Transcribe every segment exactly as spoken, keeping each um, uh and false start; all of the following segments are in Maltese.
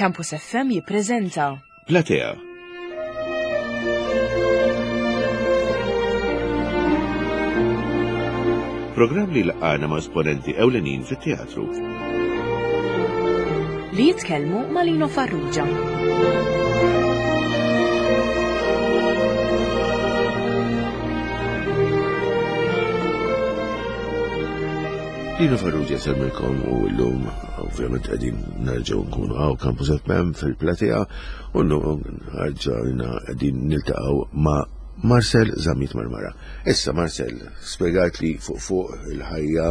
Campus F M jippreżenta Platea. Programm li laqgħana ma' esponenti ewlenin fit-teatru. Li jitkellmu ma' Lino Farrugia. Lino Farrugia semmilkom u llum ovvjament qegħdin nerġgħu nkunu hawn Campus F M fil-Platea u llum ħarġajna qegħdin niltaqgħu ma' Marcel Zammit Marmara. Issa Marcel, spjegajt li fuq fuq il-ħajja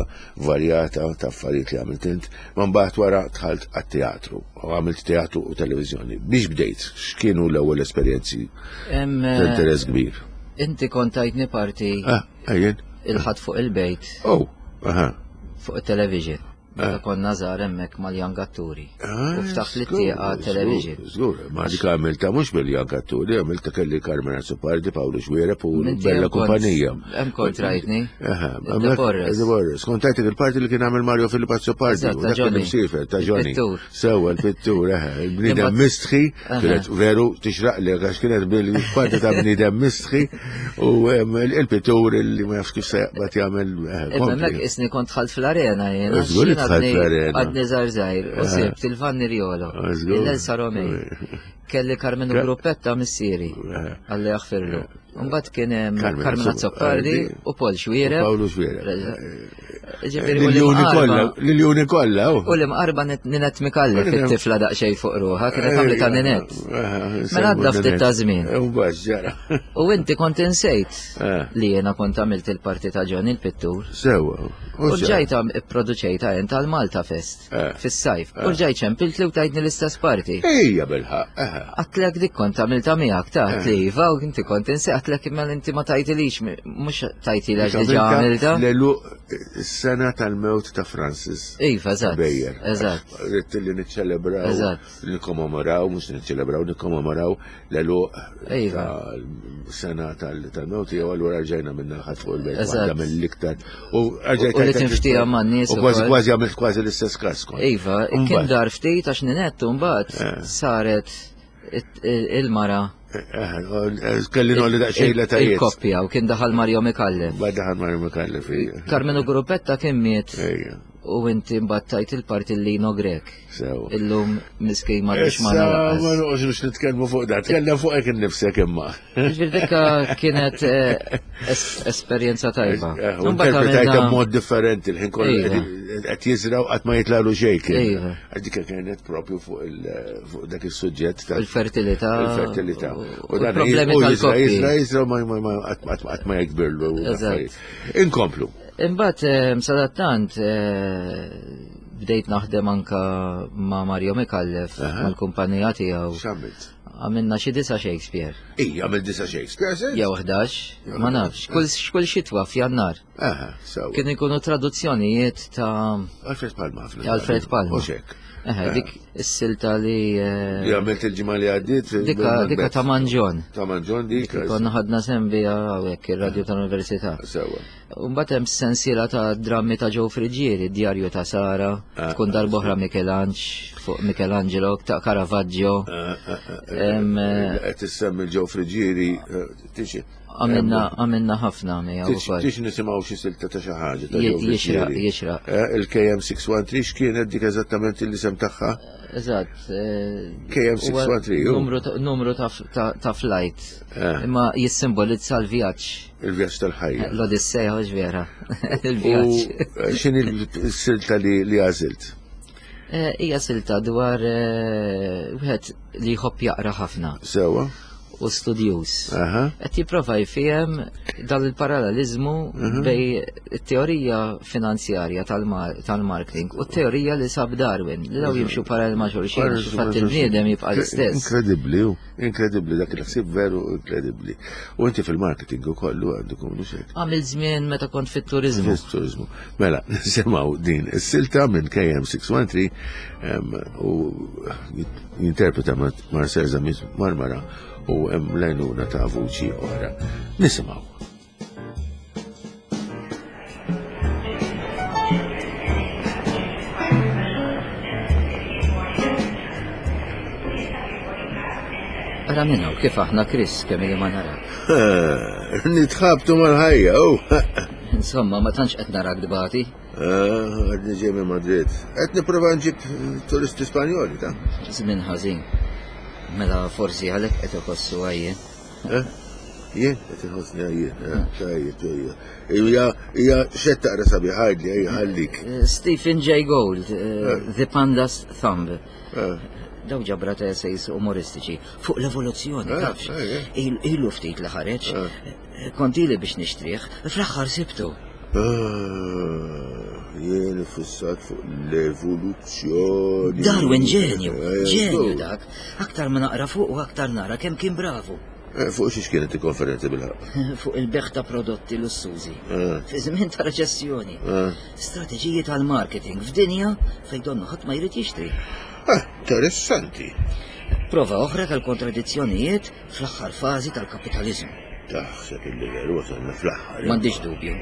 varjata ta' affarijiet li għamilt int, ma mbagħad wara dħalt għat-teatru, u għamilt teatru u televiżjoni. Biex bdejt, x'kienu l-ewwel esperjenzi Em, ta' interess kbir? Inti kont tajtni parti Ah, ejjen. il-ħadd fuq il-bejt. Oh, aha. Fuq il-television. Ah. Meta konna żgħar hemmhekk mal-Young Atturi. Ah, U ftaħt li żgur, tieqa żgur, television. Żgur, ma dik għamilta mhux bil-Young Atturi, għamilta kelli Carmen Azzopardi, Paolo Xuereb u Minti Bella hemm kont- Kumpanija. Hemm kont rajtni. Aha, The hemmhekk- Forest. The Forest. Kont tajtek il-parti li kien għamel Mario Filippo Azzopardi, Eżatt, u ta' dak kien Johnny. imsiefer, ta' Johnny. Il-pittur. Sewwa, il-pittur, aha, il-bniedem Imbagħad- mistħi, Aha. kienet veru tixraq li għax kienet bil-parti ta' bniedem mistħi u, em, il-pittur li ma jafx kif se jaqbad jagħmel, eh, Imma kompli. hemmhekk isni kont dħalt fl-arena jiena. Żgur li dħalt Għadni- fl-arena. Għadni żgħar żgħir u Ah. sibt il-Vanni Riolo, Ah, żgur. il-Elsa Romei. Kelli Carmenu Ka- Gruppetta missieri, Ah. għalli jaħfirlu. Mbagħad kien hemm Carmen Carmen Azzopardi Azzopardi u Paul Xuereb. U Paolo Xuereb. Ġifieri, u L-Ljuni l-imqarba- kollha, l-Ljuni kollha, oh. U l-imqarba Net-, Ninette Micallef, Ninette. it-tifla daqsxejn fuq ruħha, kienet għamlet ta' Ninette. Mela għadda ftit ta' żmien. U bax ġara. U inti kont insejt Eh. li jiena kont għamilt il-parti ta' Johnny il-pittur. Sewwa. U ġajta ipproduċejta int għal Malta Fest Eh. fis-sajf. Eh. U ġajt ċempilt li u tajtni l-istess parti. Ejja bilħaq, eh. Għatlek dik kont għamilta miegħek ta' Eh. li iva u inti kont insejt għatlek imma inti ma tajtilix, mhux tajtili għax diġà Għamilta għamilta. L-elu sena tal-mewt ta' Francis. Iva, eżatt. Bejjer. Eżatt. Ridt li niċċelebraw, Eżatt. nikkommemoraw, mhux niċċelebraw, nikkommemoraw l-elu Iva. tal-sena tal-, tal-mewt jew allura rġajna minna ħadd fuq il-bejt Eżatt. waħda mill-iktar. U rġajt U li tajtek tinftija man-nies U kważi ukoll. kważi għamilt kważi l-istess każ kont. Iva, kien Mbagħad. dar ftit għax Ninette mbagħad Eh. saret it-, il-mara. Eh, eh, kelli nolli daqsxejn l-etajiet. Il-koppja u kien daħal Mario Micallef. Mbagħad daħal Mario Micallef, ija. Carmenu Gruppetta kien miet. Ejja. U inti mbagħad tajt il-parti Lino Grech. Sewa. Illum miskin ma rridx ma Issa, nalaqas. ma noqgħodx nitkellmu fuq dan, tkellem fuq hekk innifsek imma. Ġifieri dikka kienet, eh, es-, esperjenza tajba. Eh, u Mbagħad interpretajta għamilna b'mod differenti, il-ħin kollu Iva. qed, qed jiżraw qatt ma jitlalu xejn kien. Iva. Għax dikka kienet propju fuq il-, fuq dak is-suġġett ta' Il-fertilità. Il-fertilità. U U dan l-problemi u jiżra, tal-koppji. jiżra, jiżra, ma, ma, ma, qatt, qatt, qatt ma jikbirlu Eżatt. l-affarijiet. Inkomplu. Imbagħad, eh, sadattant, eh, bdejt naħdem anka ma' Mario Micallef, Aha. mal-kumpanija tiegħu. X'għamilt? Għamilna xi disa Shakespeare. Ija, għamil disa Shakespeare, sens? Jew ħdax, ma nafx. Kull, kull xitwa f'Jannar. Aha, sewa. Kienu jkunu traduzzjonijiet ta' Alfred Palma, ħafna. Alfred Palma. U xek. Eħe, Eh. dik is-silta li, eh, Li għamilt il-ġimgħa li għaddiet fil- Dika, Macbeth. dika ta' Manġon. Ta' Manġon dik. Dik konna ħadna sem biha hawnhekk ir-radju tal-Università. Sewa. U mbagħad hemm sensiela ta' drammi ta' Joe Friggieri, Djarju ta' Sara, Ah, tkun ah, darb'oħra Michelangelo, fuq Michelangelo, ta' Caravaggio. Ah, ah, ah, Em, eh, qed issemmi Joe Friggieri, eh, tixi. Għamilna, għamilna ħafna miegħu Tix ukoll. tix nisimgħu xi silta ta' xi ħaġa ta' Ji- Joe jixraq, Friggieri. jixraq. Eh, il-K M six one three x'kienet dik eżattament l-isem tagħha? Eżatt, eh, K M six one three, huwa ju. numru ta', numru ta' f-, ta', ta' flight. Eh. Imma jissimbolizza l-vjaġġ. Il-vjaġġ tal-ħajja. L-Odissea, hux vera. U Il-vjaġġ. x'inhi s-silta li, li għażilt? Eh, hija silta dwar, eh, wieħed li jħobb jaqra ħafna. Sewa. U studjuż. Aha. Qed jipprova jfiem dan il-paralleliżmu Mhm. bej it-teorija finanzjarja tal-mar-, tal-marketing u t-teorija li sab Darwin, li daw Mhm. jimxu parallel ma' xulxin, Parallel għax ma' fatt xulxin. il-bniedem jibqa' l-istess. Inkredibbli, hu. Inkredibbli, dak il-ħsieb veru inkredibbli. U inti fil-marketing ukoll għandu kunu xejn. Għamil żmien meta kont fit-turizmu. Fit-turizmu. Mela, nisimgħu din is-silta minn K M six one three, em, u jinterpreta Marcel Zammit Marmara u hemm lajnuna ta' vuċi oħra. Nisimgħu. Naqra minn hawn kif aħna Chris kemm ili ma narak. Nitħabtu mal-ħajja, u. Insomma, ma tantx qed narak dbati. Ah, għadni ġej minn Madrid. Qed nipprova nġib turisti Spanjoli, ta' Żmien ħażin. Mela forsi għalhekk qed iħossu għajjien. Eh? Jien qed inħossni għajjien, eh, tajjeb, tajjeb. Hija hija xed taqra sabiħ ħadli, ejja ħallik. Eh, Stephen Jay Gould, eh, The Panda's Thumb. Eh, Daw ġabra ta' essays umoristiċi fuq l-evoluzzjoni, Eh, tafx. eh, eh. Il- Ilu ftit li ħareġ. Eh. Kont ili biex nixtrih, fl-aħħar sibtu. Ah, jien iffissat fuq l-evoluzzjoni. Darwin ġenju, Eh, ġenju żgur. dak. Aktar ma naqra fuq u aktar nara kemm kien bravu. Eh, Fuq xiex kienet il-konferenza bil-ħaqq? Fuq il-beħ ta' prodotti lussużi. Eh, Fi żmien ta' reċessjoni. eh. Strateġiji tal-marketing f'dinja fejn donnu ħadd ma jrid jixtri. Ah, interessanti. Prova oħra tal-kontradizzjonijiet fl-aħħar fażi tal-kapitaliżmu. Taħseb illi veru wasalna fl-aħħar. M'għandix dubju.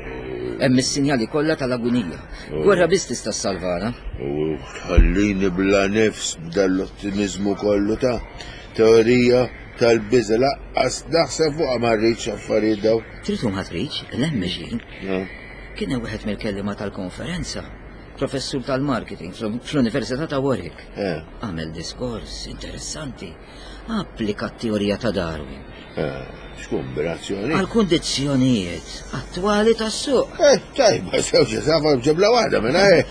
Hemm is-sinjali kollha tal-agunija. Gwerra biss tista' ssalvana. U tħallini bla nifs b'dal-ottimizmu kollu ta' teorija tal-biża laqqas naħseb fuqha ma rridx affarijiet daw. Trid u ma tridx, l-hemm mexjin. Eh, Kien hemm wieħed mill-kelliema tal-konferenza, professur tal-marketing fl- fl-Università ta' Warwick. eh, Għamel diskors interessanti. Applika t-teorija ta' Darwin eh, X'kombinazzjoni. għal kundizzjonijiet attwali tas-suq. Eh, tajba, sewġa safa b'ġebla waħda minn eh.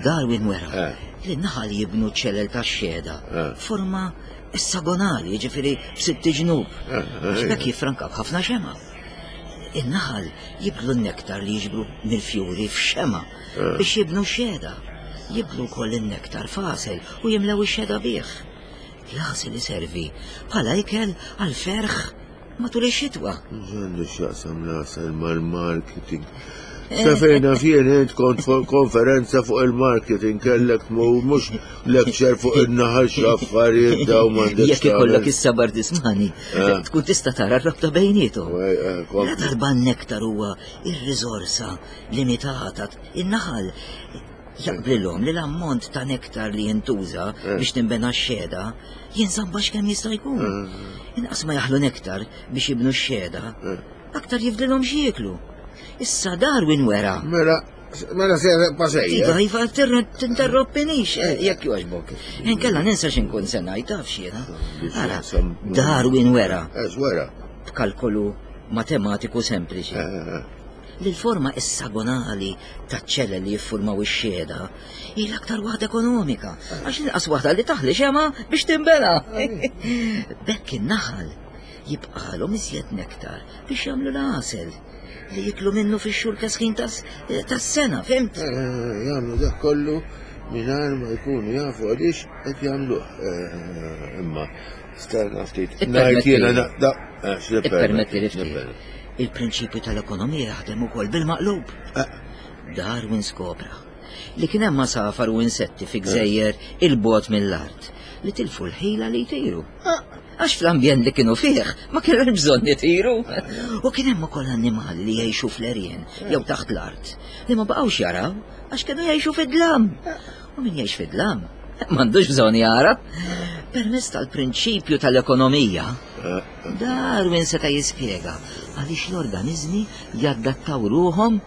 Darwin wera Eh. li naħal jibnu ċelel ta' xeda Eh. forma essagonali, ġifiri b'sitt ġnub. Eh, eh, X'bekk jiffrankaw ħafna xema. In-naħal jiblu n-nektar li jiġbru mill-fjuri f'xema Eh. biex jibnu xeda. Jiblu wkoll in-nektar fasel u jimlew ix-xeda bih. L-għasel iservi bħala ikel għal ferħ matul ix-xitwa. Għandu x'jaqsam l-għasel mal-marketing. Sa fejna fien int kont fuq konferenza fuq il-marketing kellek mu mhux lecture fuq in-naħal x'affarijiet daw m'għandek. Jekk ikollok is-sabar tismani, Eh. tkun tista' tara r-rabta bejniethom. Eh, La darba n-nektar huwa ir-riżorsa limitata in-naħal jaqblilhom li l-ammont ta' nektar li jintuża Eh. biex tinbena x-xeda jinżamm baxx kemm jista' jkun. Eh. Inqas ma jaħlu nektar biex jibnu x-xeda, Eh. aktar jifdilhom x'jieklu. Issa Darwin wera. Mela, mela se pasejja. Iva, iva, tinterrompinix, eh, jekk jogħġbok. Inkella ninsa x'inkun se ngħid taf x'jiena. Ara, Darwin wera Eh, wera. b'kalkolu matematiku sempliċi. Eh, Li l-forma essagonali taċ-ċelle li jiffurmaw ix-xeda hi l-aktar waħda ekonomika, għax inqas waħda li taħli xema biex tinbena. Bekk in-naħal jibqalhom iżjed nektar biex jagħmlu l-għasel li jiklu minnu fix-xhur kesħin tas- tas-sena, fimt? eh, Jagħmlu dak kollu mingħajr ma jkunu jafu għaliex qed jagħmluh. Eh, Imma stenna ftit. Ngħid jiena naqda. eh, Ippermetti li ftit. Il-prinċipju tal-ekonomija jaħdem ukoll bil-maqlub. Darwin skopra li kien hemm masafar u insetti fi gżejjer il-bot mill-art li tilfu l-ħila li jtiru. Għax fl-ambjent li kienu fih ma kienu bżonn jtiru. U kien hemm ukoll annimali li jgħixu fl-erjen jew taħt l-art li ma baqgħux jaraw għax kienu jgħixu fid-dlam. U min jgħix fid-dlam m'għandux bżonn jara. Permezz tal-prinċipju tal-ekonomija, Darwin seta' jispjega għaliex l-organizmi jaddattaw ruhom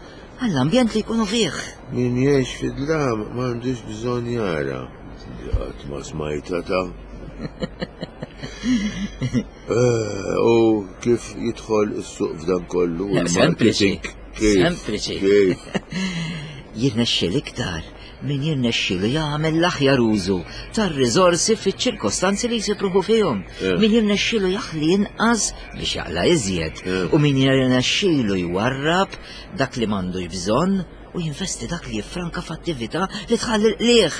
għall-ambjent li jkunu fih. Min jgħix fid-dlam m'għandux bżonn jara. Qatt ma smajta ta' Eh, U kif jidħol is-suq f'dan kollu? u Sempliċi. l-marketing? Kif? Sempliċi. Kif? Jirnexxiel iktar min jirnexxielu jagħmel l-aħjar użu tar-riżorsi fiċ-ċirkostanzi li jsibruħu fihom. Eh. Min jirnexxielu jaħli inqas biex jaqla iżjed Eh. u min jirnexxielu jwarrab dak li m'għandux bżonn u jinvesti dak li jiffranka f'attività li tħalli l-qlieħ.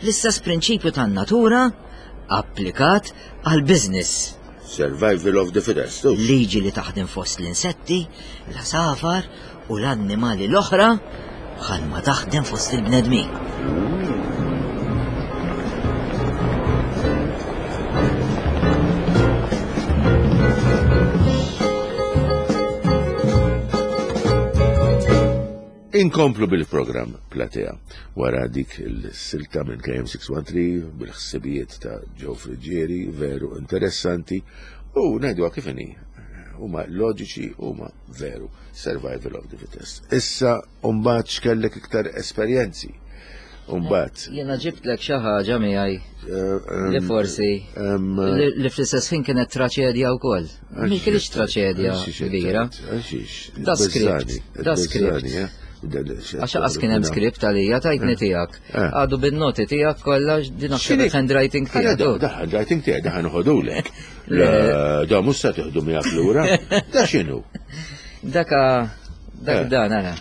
L-istess prinċipju tan-natura applikat għal business. Survival of the fittest. u. Liġi li taħdem fost l-insetti, l-asafar u l-annimali l-oħra bħalma taħdem fost il-bnedmin. Inkomplu bil-programm Platea wara dik il-silta minn K M six one three bil-ħsibijiet ta' Joe Friggieri, veru interessanti, u ngħiduha kif inhi, huma loġiċi, huma veru, survival of the fittest. Issa mbagħad x'kellek iktar esperjenzi. Mbagħad jiena ġibtlek xi ħaġa miegħi li forsi li fl-istess ħin kienet traċedja wkoll. Mi kienx traċedja kbira. Da script, da script. Għax qas kien hemm script għalija tajtni tiegħek. Għadu bin-noti tiegħek kollha din aktar handwriting tiegħek. Da handwriting tiegħek da ħanħodulek. Da mhux se tieħdu miegħek lura. Da x'inhu? Daka dak dan ara.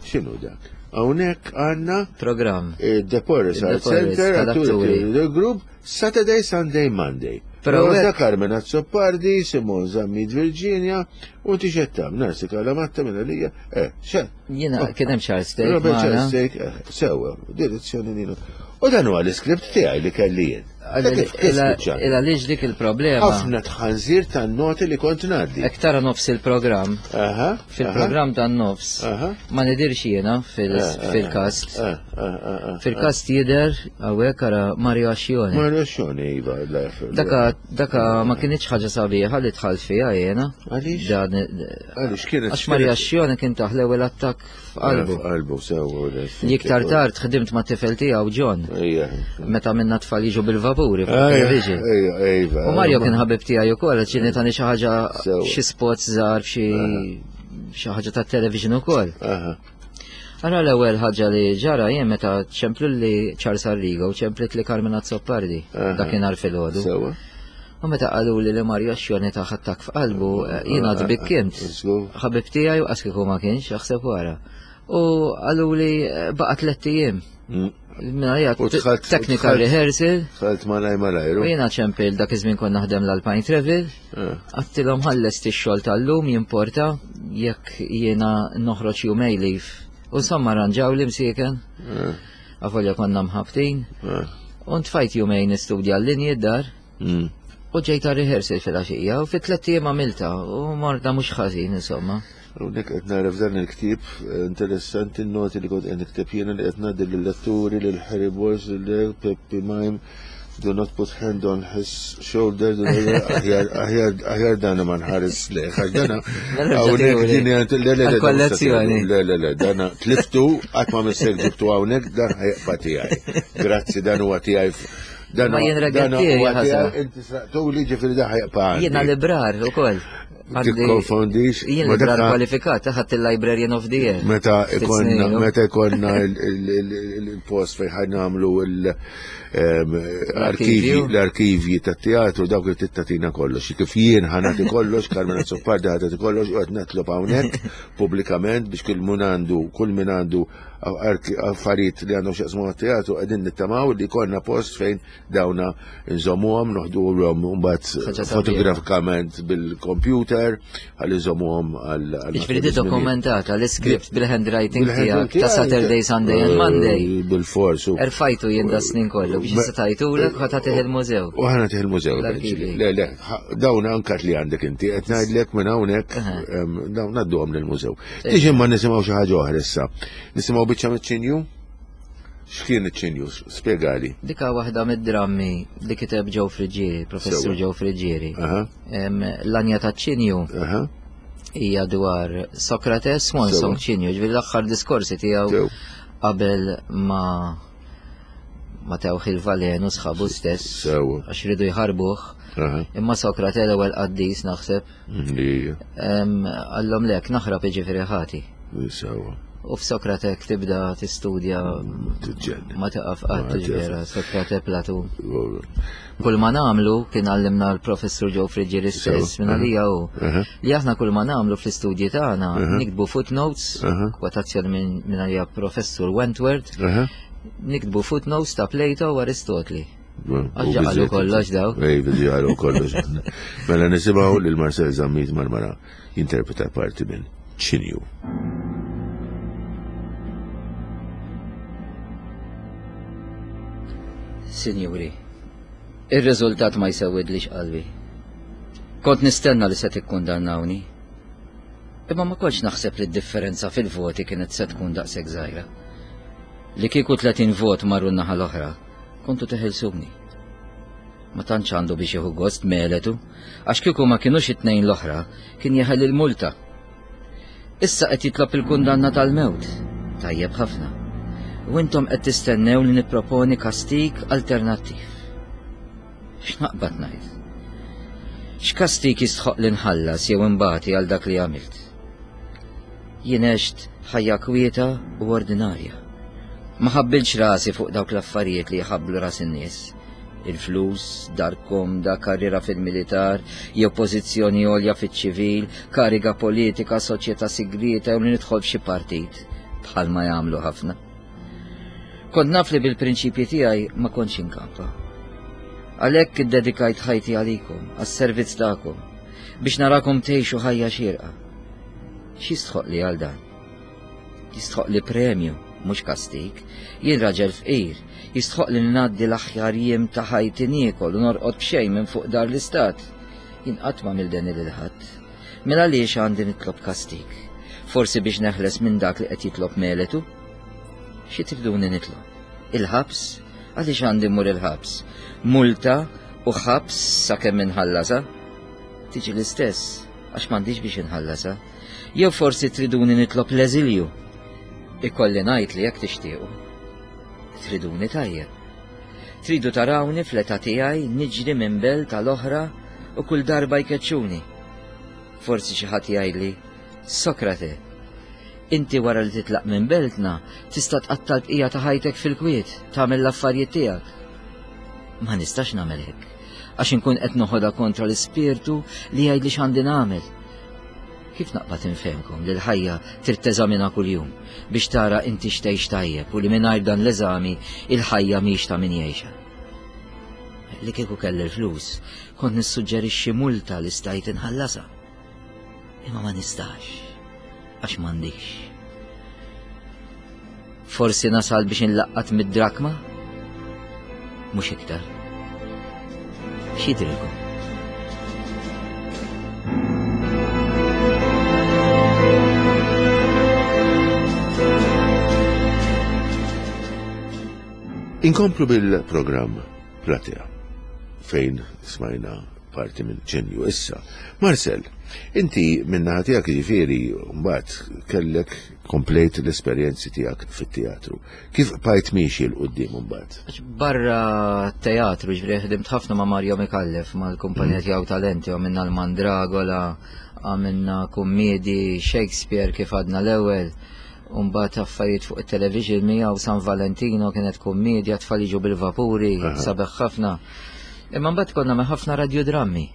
X'inhu dak? Hawnhekk għandna programm. The Porres Art Center, Atturi Group, Saturday, Sunday, Monday. Rosa Carmen Azzopardi, Simon Zammit Virginia, u tixettam, Narsi Kalamatta minn għalija, eh, xe? Jiena kien hemm Charles Steak. Robert Charles Steak, sewa, direzzjoni Nino. U dan huwa l-iskript tiegħi li kelli jien. Illa liġ dik il-problema. Ħafna tħanżir tan-noti li kont ngħaddi. Hekk tara nofs il-programm. Fil-programm tan-nofs. Ma nidirx jiena fil-kast. Fil-kast jidher hawnhekk ara Mario Ascione. Mario Ascione, iva. Daka daka ma kienx ħaġa sabiħa li dħalt fiha jiena. Għaliex? Għaliex kienet. Għax Mario Ascione kien taħ l-ewwel attakk f'qalbu. F'qalbu sewa. Li iktar tard ħdimt ma' tifel tiegħu John. Meta minna tfal jiġu bil-vapuri fuq television. U Mario kien ħabib tiegħi wkoll, ġieni tani xi ħaġa xi spots żgħar f'xi xi ħaġa tat-television ukoll. Ara l-ewwel ħaġa li ġara jien meta ċemplu li Charles Arrigo u ċemplit li Carmen Azzopardi dakinhar filgħodu. U meta qalu li li Mario Ascione ta' attakk f'qalbu, jiena tbikkimt. Ħabib tiegħi u qas kieku ma kienx, aħseb wara. U qalu li baqa' tliet ijiem. Technical rehearsal. Dħalt malaj malajru. U jiena ċempil dak iż-żmien kont naħdem l-Alpine Travel. Għattilhom ħallest ix-xogħol tal-lum jimporta jekk jiena noħroġ jumej leave. U insomma arranġaw li msieken. Avolja konna mħabtin. U ntfajt jumejn nistudja l-linji d-dar. U ġejta rehearsal fil-għaxija u fit-tliet ijiem għamilta u morda mhux ħażin insomma. Hawnhekk qed nara f'dan il-ktieb interessanti n-noti li kont qed nikteb jiena li qed ngħaddi lill-letturi lil Harry Boys lil Peppi Mime, do not put hand on his shoulder, aħjar aħjar dana ma nħares lejh, għax dana hawnhekk din le le kollezzjoni. Le le le dana tliftu qatt ma missek ġibtu hawnhekk dan ħajqba tiegħi. Grazzi dan huwa tiegħi. Ma jien regattieri ħasra. Inti sraqtuli ġifieri da ħajqba. Jiena librar ukoll. Tikkonfondix. Jien librar kwalifikat, ħadd il-Librarian of the Year. Meta ikonna meta ikonna il-post fejn ħa nagħmlu l-arkivji l-arkivji tat-teatru dawk li tittatina kollox. Kif jien ħa nagħti kollox, Carmen Azzopardi ħa tagħti kollox u qed natlob hawnhekk pubblikament biex kull min għandu kull min għandu affarijiet li għandhom x'jaqsmu mat-teatru qegħdin nittamaw li jkollna post fejn dawna nżommuhom, noħduhom mbagħad fotografikament bil-computer ħalli nżommuhom għal. Jiġifieri di dokumentata l-iskript bil-handwriting tiegħek ta' Saturday, Sunday and Monday. Bil-fors. Erfajtu jien da snin kollu biex issa tajtulek ħa tagħtih il-mużew. U ħa nagħtih il-mużew. Le le, dawn anke li għandek inti qed ngħidlek minn hawnhekk dawn ngħadduhom lill-mużew. Tiġi ma nisimgħu xi ħaġa oħra issa. Nisimgħu biċċa miċ-ċinju? X'kien iċ-ċinju? Spjegali. Dika waħda mid-drammi li kiteb Joe Friggieri, Professur Joe Friggieri. L-Anja taċ-ċinju hija dwar Socrates, Swan Song ċinju, ġifieri l-aħħar diskorsi tiegħu qabel ma ma tewħ il-valenu sħabu stess għax ridu jħarbuh. Imma Sokrate l-ewwel qaddis naħseb. Għallhom lek naħrab jiġifieri ħati. Sewa. U f'Sokrate tibda tistudja ma taqaf qatt ġifieri Sokrate Platun. Kull ma nagħmlu kien għallimna l-Professur Joe Friggieri stess minn għalija hu li aħna kull ma nagħmlu fl-istudji tagħna niktbu footnotes, kwotazzjoni minn għalija Professur Wentworth, niktbu footnotes ta' Plato u Aristotli. Għax qalu kollox daw. Ej, qalu kollox. Mela nisimgħu lil Marcel Zammit Marmara jinterpreta parti minn ċinju. Sinjuri, ir-riżultat ma jsewwidlix qalbi. Kont nistenna li se tikkundannawni. Imma ma kontx naħseb li d-differenza fil-voti kienet se tkun daqshekk żgħira. Li kieku tletin vot marru n-naħa l-oħra, kontu teħilsuni. Ma tantx għandu biex jieħu gost Meletu, għax kieku ma kinux it-tnejn l-oħra, kien jeħel il-multa. Issa qed jitlob il-kundanna tal-mewt. Tajjeb ħafna. U intom qed tistennew li nipproponi kastig alternattiv. X'naqbad ngħid? X'kastig jistħoq li nħallas jew imbati għal dak li għamilt? Jien għext ħajja kwieta u ordinarja. Ma ħabbilx rasi fuq dawk l-affarijiet li jħabblu ras in-nies. Il-flus, dar komda, karriera fil-militar, jew pożizzjoni għolja fiċ-ċivil, kariga politika, soċjetà sigrieta jew li nidħol f'xi partit, bħalma jagħmlu ħafna. Kont naf li bil-prinċipji tiegħi ma kontx inkampa. Għalhekk iddedikajt ħajti għalikom, għas-servizz tagħkom, biex narakom tgħixu ħajja xierqa. X'jistħoq li għal dan? Jistħoq li premju, mhux kastig. Jien raġel fqir, jistħoq li ngħaddi l-aħjar jiem ta' ħajti niekol u norqod b'xejn minn fuq dar l-istat. Jien qatt ma għamilt deni lil ħadd. Mela għaliex għandi nitlob kastig? Forsi biex neħles minn dak li qed jitlob Meletu? Xi triduni nitlob? Il-ħabs? Għaliex għandi mmur il-ħabs? Multa u ħabs sakemm inħallasha? Tiġi l-istess, għax m'għandix biex inħallasha. Jew forsi triduni nitlob l-eżilju. Ikolli ngħid li jekk tixtiequ. Triduni tajjeb. Tridu tarawni fl-età tiegħi niġri minn belt tal-oħra u kull darba jkeċċuni. Forsi xi ħadd jgħidli, Sokrate, inti wara li titlaq minn beltna tista' tqatta' l-bqija ta' ħajtek fil-kwiet, tagħmel l-affarijiet tiegħek. Ma nistax nagħmel hekk, għax inkun qed noħodha kontra l-ispirtu li jgħidli x'għandi nagħmel. Kif naqbad infehmkom li l-ħajja trid teżamina kuljum biex tara inti x'tgħix tajjeb u li mingħajr dan l-eżami il-ħajja mhix ta' min jgħixha. Li kieku kelli l-flus, kont nissuġġerixxi multa li stajt inħallasha. Imma ma nistax, għax m'għandix. Forsi nasal biex inlaqqat mid-drakma? Mhux iktar. X'jidrilkom? Inkomplu bil-programm Platea, fejn smajna parti minn ġenju issa. Marcel, inti minnaħa tiegħek jiġifieri mbagħad kellek komplejt l-esperjenzi tiegħek fit-teatru. Kif bqajt miexi 'l quddiem mbagħad? Barra teatru, ġifieri ħdimt ħafna ma' Mario Micallef, mal-kumpanija tiegħu Talenti, għamilna l-Mandragola, għamilna kummedi, Shakespeare kif għadna l-ewwel. Umbagħad affarijiet fuq it-television miegħu San Valentino kienet kummedja, tfal jiġu bil-vapuri, sabeħ ħafna. Imma mbagħad konna ma' ħafna radiodrammi.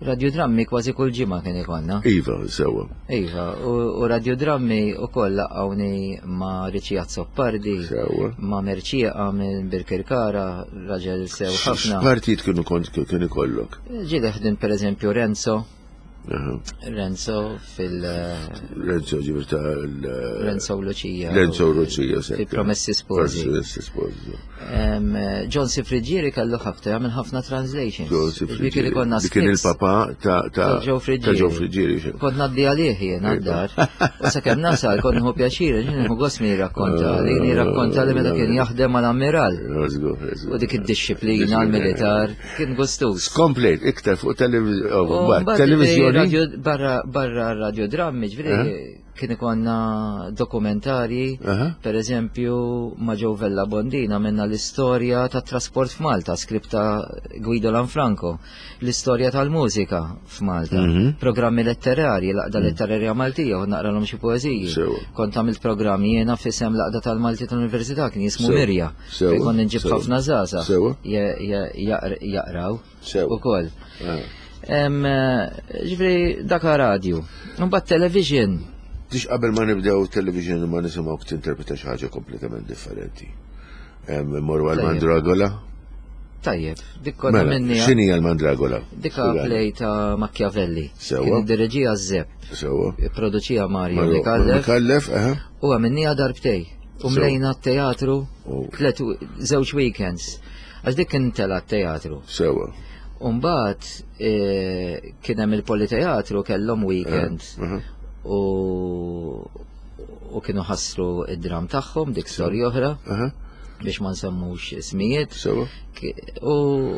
Radiodrammi kważi kull ġimgħa kien ikollna. Iva, sewwa. Iva, u radiodrammi wkoll laqgħuni ma' Riċi Azzopardi, ma' Merċieqa minn Birkirkara, raġel sew ħafna. X'partijiet kienu kont kien ikollok? Ġieli ħdim pereżempju Renzo. Renzo fil- Renzo ġibir ta' Renzo u Lucia. Renzo u Lucia, Fi Promessi Sposi. Promessi Sposi. John Cifrigieri kellu ħafna, jagħmel ħafna translations. John Cifrigieri. Li kien il-papa ta' ta' Joe Friggieri. Joe Friggieri. Kont ngħaddi għalih jien għad-dar. U sakemm nasal kont nieħu pjaċir, nieħu gost min jirrakkonta, li jirrakkonta li meta kien jaħdem mal-ammiral. U dik id-disciplina l-militar kien gustus. Skomplejt iktar fuq televizjoni. Barra barra radiodrammi, ġifieri kien ikonna dokumentari, per eżempju ma' Joe Vella Bondina minna l-istorja tat trasport f'Malta, skripta Guido Lanfranco, l-istorja tal-mużika f'Malta, programmi letterarji, l-Għaqda Letterarja Maltija, u naqralhom xi poeżiji. Kont għamilt programmi jiena f'isem l-Għaqda tal-Malti tal-Università, kien jismu Mirja, fejn kont nġib ħafna żgħażagħ jaqraw ukoll. Ġifieri dak radio. Mbagħad television. Tix qabel ma nibdew television ma nisimgħu tinterpreta xi ħaġa kompletament differenti. Morru għal Mandragola? Tajjeb, dik konna minni. X'inhi l-Mandragola? Dika play ta' Machiavelli. Sewwa. Kien iddireġija Zepp. Sewwa. Produċija Mario Micallef. Micallef, aha. U għamilniha darbtej. U mlejna t-teatru tliet żewġ weekends. Għax dik kien tela' t-teatru. Sewwa. Umbagħad kien hemm il-Politeatru kellhom weekend. U u kienu ħassru id-dram tagħhom dik storja oħra biex ma nsemmux ismijiet. U,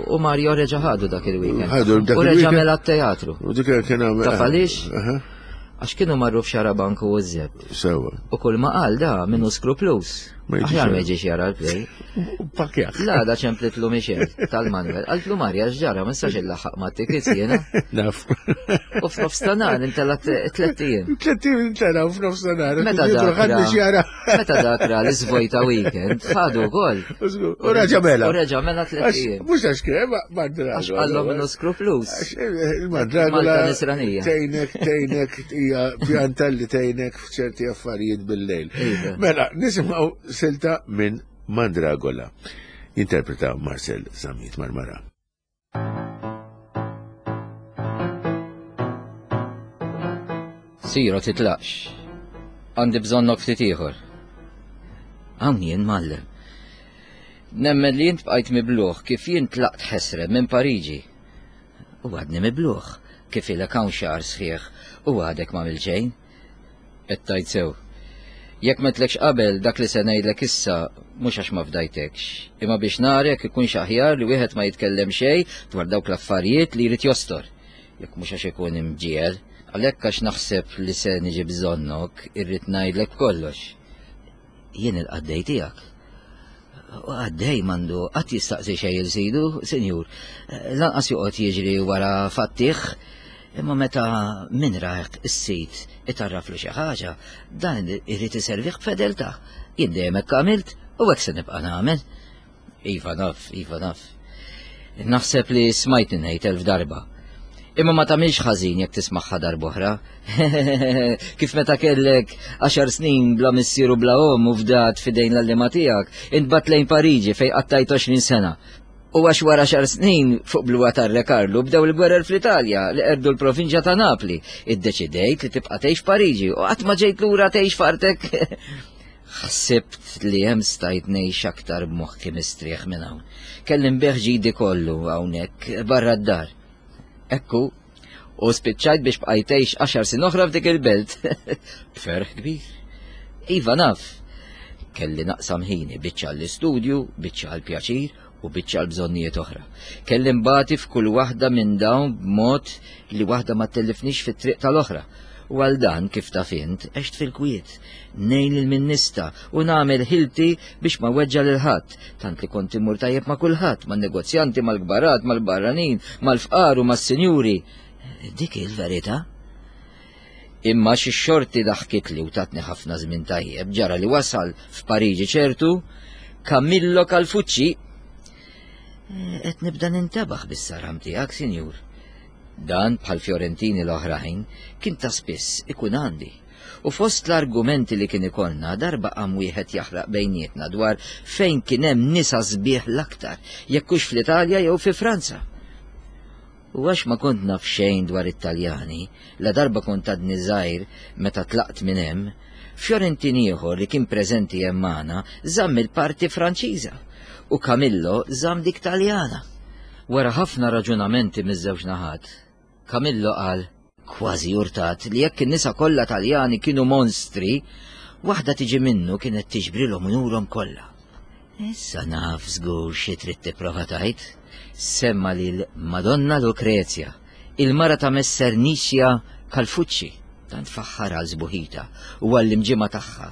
u Mario reġa' ħadu dak il-weekend. Ħadu dak U reġa' il-weekend. mela t-teatru. U dik kien għamel. Taf għaliex? Għax kienu marru f'xarabank u żeb. Sewa. U kull ma qal da minnu skruplus. Ma jiġix Aħjar ma jara. jiġix jara l-play. U pakjak. La da ċemplitlu Michel tal-Manuel. Qaltlu Marja x'ġara ma nistax illaħħaq ma' tickets jiena. Naf. U f'nofs ta' nhar intela tliet ijiem. Tliet ijiem intela u f'nofs ta' nhar. Meta dak ħadd ra- biex jara. Meta dak ra li żvojta weekend, ħadu wkoll. U raġa mela. U reġa' mela tliet Għax, ijiem. mhux għax kien, ma mandragola. Għax qallhom minnu skruplus. Għax, eh, il-mandragola. Malta nisranija. Tejnek, tejnek, hija pjanta li tejnek f'ċerti affarijiet bil-lejl. Iva. Mela, nisimgħu silta minn Mandragola. Interpreta Marcel Zamit Marmara. Siro titlaqx. Għandi bżonnok ftit ieħor. Hawn jien mallem. Nemmen li jint bqajt mibluħ kif jien tlaqt ħesrem minn Pariġi. U għadni mibluħ kif ilek hawn xahar sħiħ u għadek ma xejn. Qed tajt sew. Jekk ma tlekx qabel dak li se ngħidlek issa mhux għax ma fdajtekx, imma biex narek ikunx aħjar li wieħed ma jitkellem xejn dwar dawk l-affarijiet li jrid jostor. Jekk mhux għax ikun imġiel, għalhekk għax naħseb li se niġi bżonnok irrid ngħidlek kollox. Jien il-qaddej tiegħek. U għaddej mandu qatt jistaqsi xejn il sidu, sinjur. Lanqas joqgħod jiġri wara fattih, imma meta min raħek is-sid itarraflu xi ħaġa, dan irid iservih b'fedeltà. Jien dejjem hekk għamilt u hekk se nibqa' nagħmel. Iva naf, iva naf. Naħseb li smajt ngħid elf darba. Imma ma tagħmilx ħażin jekk tismagħha darb'oħra. Kif meta kellek għaxar snin bla missier u bla omm u fdat f'idejn l-għalliema tiegħek, intbagħat lejn Pariġi fejn qattajt għoxrin sena. U għax wara xar snin fuq bluwa tar-Re Karlu bdew il-gwerer fl-Italja li qerdu l-provinċja ta' Napli. Iddeċidejt li tibqa' tgħix Pariġi u qatt ma ġejt lura tgħix f'artek. Ħsibt li hemm stajt ngħix aktar b'moħħi mistrieħ minn hawn. Kelli nbigħ ġidi kollu hawnhekk barra d-dar. Ekku, u spiċċajt biex bqajt tgħix għaxar sin oħra f'dik il-belt. B'ferħ kbir. Iva naf, kelli naqsam ħini biċċa l-istudju, biċċa l-pjaċir u biċċa l-bżonnijiet oħra. Kelli nbati f'kull waħda minn dawn b'mod li waħda ma tellifnix fit-triq tal-oħra. U għal dan kif taf int, għext fil-kwiet, ngħin lil min nista' u nagħmel ħilti biex ma weġġa lil ħadd, tant li kont immur tajjeb ma' kulħadd, man-negozjanti, mal-kbarat, mal-barranin, mal-fqar u mas-sinjuri. Dik il-verità. Imma xi xorti daħkitli u tatni ħafna żmien tajjeb, ġara li wasal f'Pariġi ċertu Camillo Calfucci. Qed nibda nintebaħ bis-saram tiegħek, sinjur. Dan bħal Fiorentini l-oħrajn kien ta' spiss ikun għandi. U fost l-argumenti li kien ikollna darba qam wieħed jaħraq bejnietna dwar fejn kien hemm nisa sbieħ l-aktar, jekk hux fl-Italja jew fi Franza. U għax ma kont naf xejn dwar it-Taljani, la darba kont għadni żgħir meta tlaqt minn hemm, Fiorentin ieħor li kien preżenti hemm magħna żamm il-parti Franċiża u Camillo żamm dik Taljana. Wara ħafna raġunamenti miż-żewġ naħat, Camillo qal, kważi urtat, li jekk in-nisa kollha Taljani kienu monstri, waħda tiġi minnu kienet tiġbrilhom unurhom kollha. Issa naf żgur xi trid tipprova tgħid. Semma lil Madonna Lucrezia, il-mara ta' Messer Nicia Calfucci, tant faħħar għal sbuħita u għall-imġima tagħha,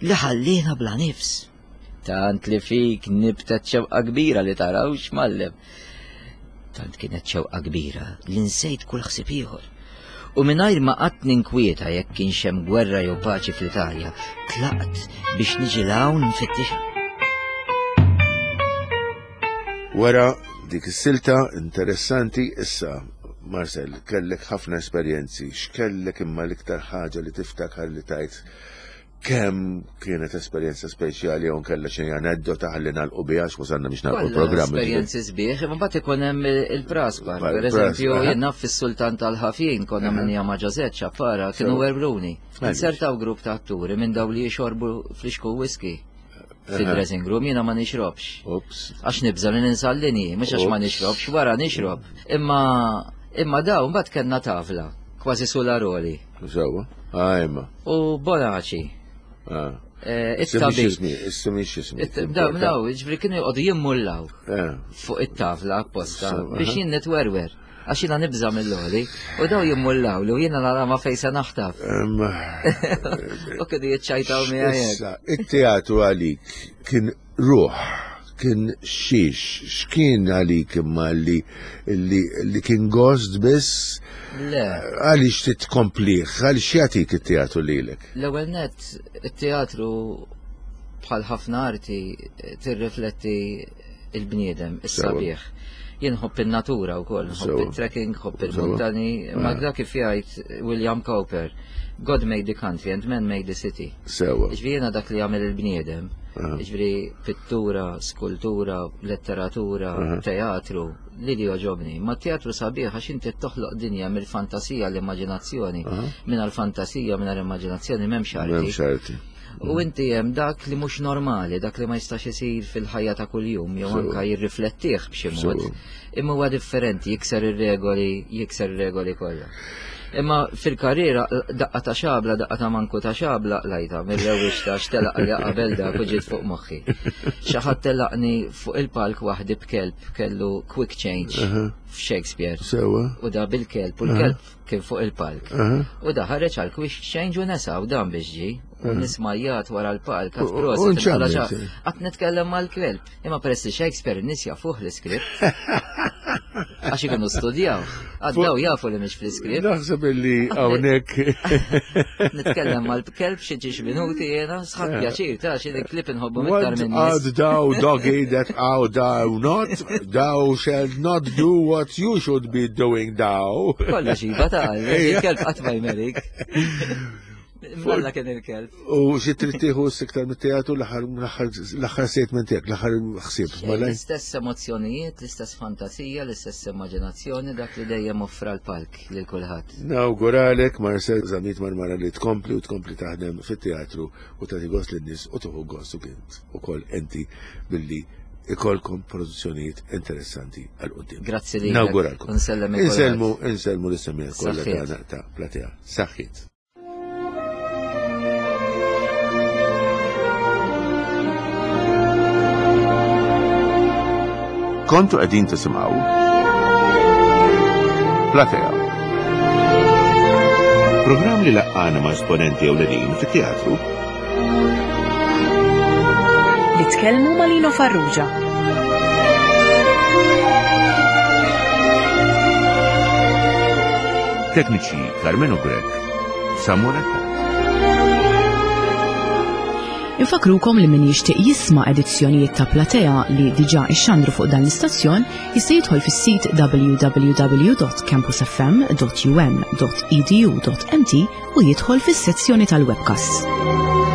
li ħallina bla nifs. Tant li fik nibtet xewqa kbira li tarawx mallem. Tant kienet xewqa kbira li nsejt kull ħsieb ieħor. U mingħajr ma qatt ninkwieta jekk kienx hemm gwerra jew paċi fl-Italja, tlaqt biex niġi 'l hawn nfittixha. Wara dik is-silta interessanti issa, Marcel, kellek ħafna esperjenzi, x'kellek imma l-iktar ħaġa li tiftakar li tajt kemm kienet esperjenza speċjali jew kellha xi aneddota ħalli nagħlqu biha għax wasalna biex nagħlqu Kollha l-programm. Esperjenzi sbieħ, imma mbagħad ikun hemm il-praspar. Par- Per eżempju, praspar, jien naf fis-Sultan tal-Ħafin konna minnija ma' Ġożett Ċappara, kienu Sew. werbruni. Għaliex? Insertaw grupp ta' atturi minn daw li jixorbu flixku whisky fid-dressing room, jiena ma nixrobx. Ups. Għax nibża li ninsa l-linji, mhux għax ma Ups. nixrobx, wara nixrob. Imma imma daw mbagħad kellna tavla, kważi sularoli. Sewa. Ajma. U Bonaci. Ah. Eh, it-tabib. Issemmi x'ismi. Daw, daw, ġifieri kienu joqogħdu jimmullaw Eh. fuq it-tafla apposta Sewa, biex aha. jien nitwerwer. Għax jiena nibża' mill-għoli. U daw jimmullaw li u jiena nara ma fejn se naħtaf. Em, U kienu jiċċajtaw miegħi hekk. Issa, it-teatru għalik kien ruħ, kien xiex, x'kien għalik imma li, li, li kien gost biss, Le. għaliex titkomplih, għaliex jagħtik it-teatru lilek? L-ewwel nett, it-teatru bħal ħafna arti tirrifletti il-bniedem, is-sabiħ. Jien nħobb in-natura wkoll, nħobb Sewa. it-trekking, nħobb Sewa. il-muntani, ma Ah. dak kif jgħid William Cowper, God made the country and man made the city. Sewa. Ġifieri jiena dak li jagħmel il-bniedem, Ah. ġifieri pittura, skultura, letteratura, Aha. teatru, li li joġobni. Ma teatru sabiħ għax inti toħloq dinja mill-fantasija l-immaġinazzjoni. Aha. Minn l-fantasija, minn l-immaġinazzjoni m'hemmx arti. M'hemmx arti. U inti hemm dak li mhux normali, dak li ma jistax isir fil-ħajja ta' kuljum, jew Sewa. anka jirriflettih b'xi mod. Sewa. Imma huwa differenti, jikser ir-regoli, jikser ir-regoli kollha. Imma fil-karriera daqqa ta' xabla, daqqa ta' manku ta' xabla lajta, mill-ewwel ta' xtelaq li qabel dak u ġiet fuq moħħi. Xi ħadd telaqni fuq il-palk waħdi b'kelb kellu quick change f'Shakespeare. Sewa. U da bil-kelb, u l-kelb kien fuq il-palk. Aha. U da ħareġ għal quick change u nesa u dan biex ġi. U nismajjat wara l-palk, għat U- u- prosit, u nċammet. għala xa- għat nitkellem mal-kelb. Imma peress li Shakespeare n-nies jafuh l-iskript. Għax ikunu studjaw. Għaddaw jafu li mhix fl-iskript. Naħseb illi hawnhekk Nitkellem mal-kelb xi ġiex minuti jiena, sħab pjaċir ta' xi klip inħobbu iktar What minn art nies. thou, doggy, that thou thou not? Thou shalt not do what you should be doing thou. Kollox iva ta' il-kelb qatt ma jmerik. Malla kien il-kelb. U xi trid tieħu s-iktar mit-teatru l-aħħar l-aħħar statement tiegħek, l-aħħar ħsieb, malaj? L-istess emozzjonijiet, l-istess fantasija, l-istess immaġinazzjoni, dak li dejjem offra l-palk lil kulħadd. Nawguralek Marcel Zammit Marmara li tkompli u tkompli taħdem fit-teatru u tagħti gost lin-nies u tieħu gost u kint ukoll enti billi ikolkom produzzjonijiet interessanti għal quddiem. Grazzi lilek. Nawguralkom. Nsellem il kulħadd. Insellmu, insellmu l-issemija kollha Saħħiet. tagħna ta' Platea. Saħħiet. Kontu qegħdin tisimgħu Platea. Programm li laqqana ma' esponenti ewlenin fit-teatru Li tkellmu ma' Lino Farrugia. Tekniċi Carmelo Grech, Samuel Attard. Infakrukom li min jixtieq jisma' edizzjonijiet ta' Platea li diġà ixxandru fuq dan l-istazzjon jista' jidħol fis-sit w w w dot campusfm dot u m dot e d u dot m t u jidħol fis-sezzjoni tal-webcast.